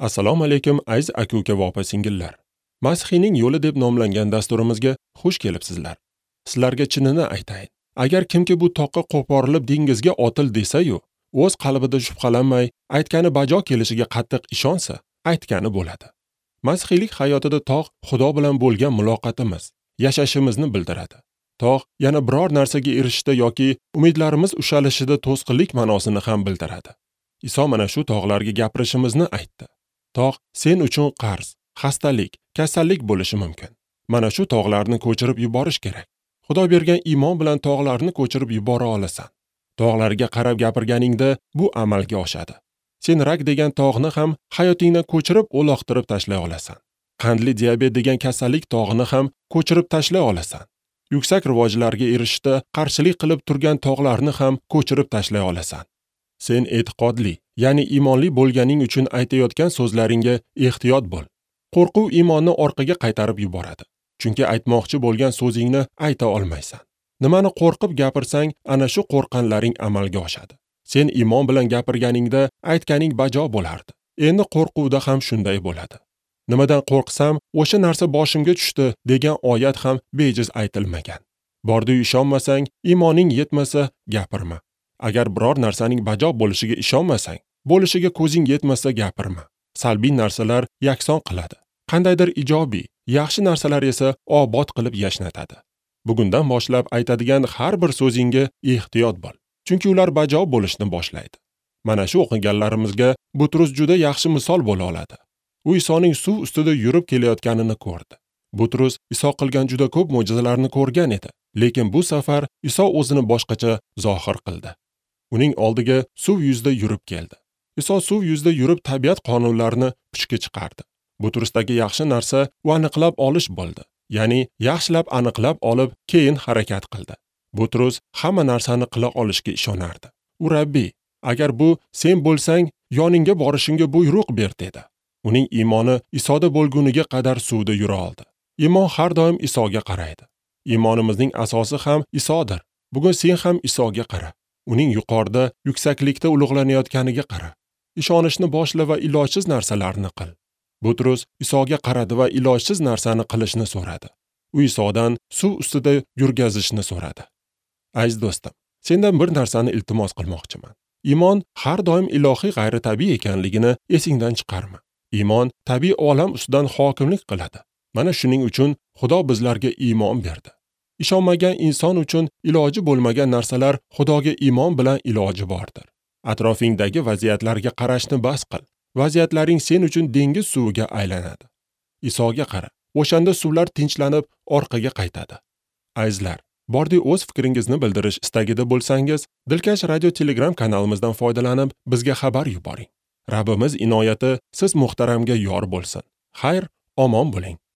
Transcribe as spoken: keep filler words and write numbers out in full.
Assalomu alaykum aziz aka-uka va opa-singillar. Masihiyning yo'li deb nomlangan dasturimizga xush kelibsizlar. Sizlarga chinini aytayin. Agar kimki bu toqqa qo'porilib dengizga otil desa-yu, o'z qalbida shubhalanmay, aytgani bajo kelishiga qattiq ishonsa, aytgani bo'ladi. Masihiylik hayotida tog' Xudo bilan bo'lgan muloqotimiz, yashashimizni bildiradi. Tog' yana biror narsaga erishishda yoki umidlarimiz ushalishida to'sqinlik ma'nosini ham bildiradi. Iso mana shu tog'larga gapirishimizni aytdi. Tog' sen uchun qarz, xastalik, kasallik bo'lishi mumkin. Mana shu tog'larni ko'chirib yuborish kerak. Xudo bergan iymon bilan tog'larni ko'chirib yubora olasan. Tog'larga qarab gapirganingda bu amalga oshadi. Sen rak degan tog'ni ham hayotingdan ko'chirib uloqtirib tashlay olasan. Qandli diabet degan kasallik tog'ini ham ko'chirib tashlay olasan. Yuksak rivojlarga erishishda qarshilik qilib turgan tog'larni ham ko'chirib tashlay olasan. Sen e'tiqodli, ya'ni iymonli bo'lganing uchun aytayotgan so'zlaringga ehtiyot bo'l. Qo'rquv iymonni orqaga qaytarib yuboradi. Chunki aytmoqchi bo'lgan so'zingni ayta olmaysan. Nimani qo'rqib gapirsang, ana shu qo'rqqanlaring amalga oshadi. Sen iymon bilan gapirganingda aytganing bajo bo'lardi. Endi qo'rquvda ham shunday bo'ladi. Nimadan qo'rqsam, o'sha narsa boshimga tushdi degan oyat ham bejiz aytilmagan. Bordi-yu ishonmasang, iymoning yetmasa gapirma. Agar biror narsaning bajo bo'lishiga ishonmasang, bo'lishiga ko'zing yetmasa gapirma. Salbiy narsalar yakson qiladi. Qandaydir ijobiy, yaxshi narsalar esa obod qilib yashnatadi. Bugundan boshlab aytadigan har bir so'zingga ehtiyot bo'l. Chunki ular bajo bo'lishni boshlaydi. Mana shu o'qiganlarimizga Butrus juda yaxshi misol bo'la oladi. U Isoning suv ustida yurib kelayotganini ko'rdi. Butrus Iso qilgan juda ko'p mo'jizalarni ko'rgan edi, lekin bu safar Iso o'zini boshqacha zohir qildi. Uning oldiga suv yuzida yurib keldi. Iso suv yuzida yurib tabiat qonunlarini puchga chiqardi. Butrusdagi yaxshi narsa u aniqlab olish bo'ldi. Ya'ni yaxshilab aniqlab olib, keyin harakat qildi. Butrus hamma narsani qila olishga ishonardi. U Rabbiy, agar bu sen bo'lsang, yoningga borishimga buyruq ber dedi. Uning iymoni Isoda bo'lguniga qadar suvda yura oldi. Iymon har doim Isoga qaraydi. Iymonimizning asosi ham Isodir. Bugun sen ham Isoga qara. Uning yuqorida, yuksaklikda ulug'lanayotganiga qara. Ishonishni boshla va ilojsiz narsalarni qil. Butrus Isoga qaradi va ilojsiz narsani qilishni so'radi. U Isodan suv ustida yurgazishni so'radi. Aziz do'stim, sendan bir narsani iltimos qilmoqchiman. Iymon har doim ilohiy g'ayritabiiy ekanligini esingdan chiqarma. Iymon tabiiy olam ustidan hokimlik qiladi. Mana shuning uchun Xudo bizlarga iymon berdi. Ishonmagan inson uchun iloji bo'lmagan narsalar Xudoga iymon bilan iloji bordir. Atrofingdagi vaziyatlarga qarashni bas qil. Vaziyatlaring sen uchun dengiz suviga aylanadi. Isoga qara. O'shanda suvlar tinchlanib orqaga qaytadi. Azizlar, bordi o'z fikringizni bildirish istagida bo'lsangiz, Dilkash radio Telegram kanalimizdan foydalanib bizga xabar yuboring. Rabbimiz inoyati siz muhtaramga yor bo'lsin. Xayr, omon bo'ling.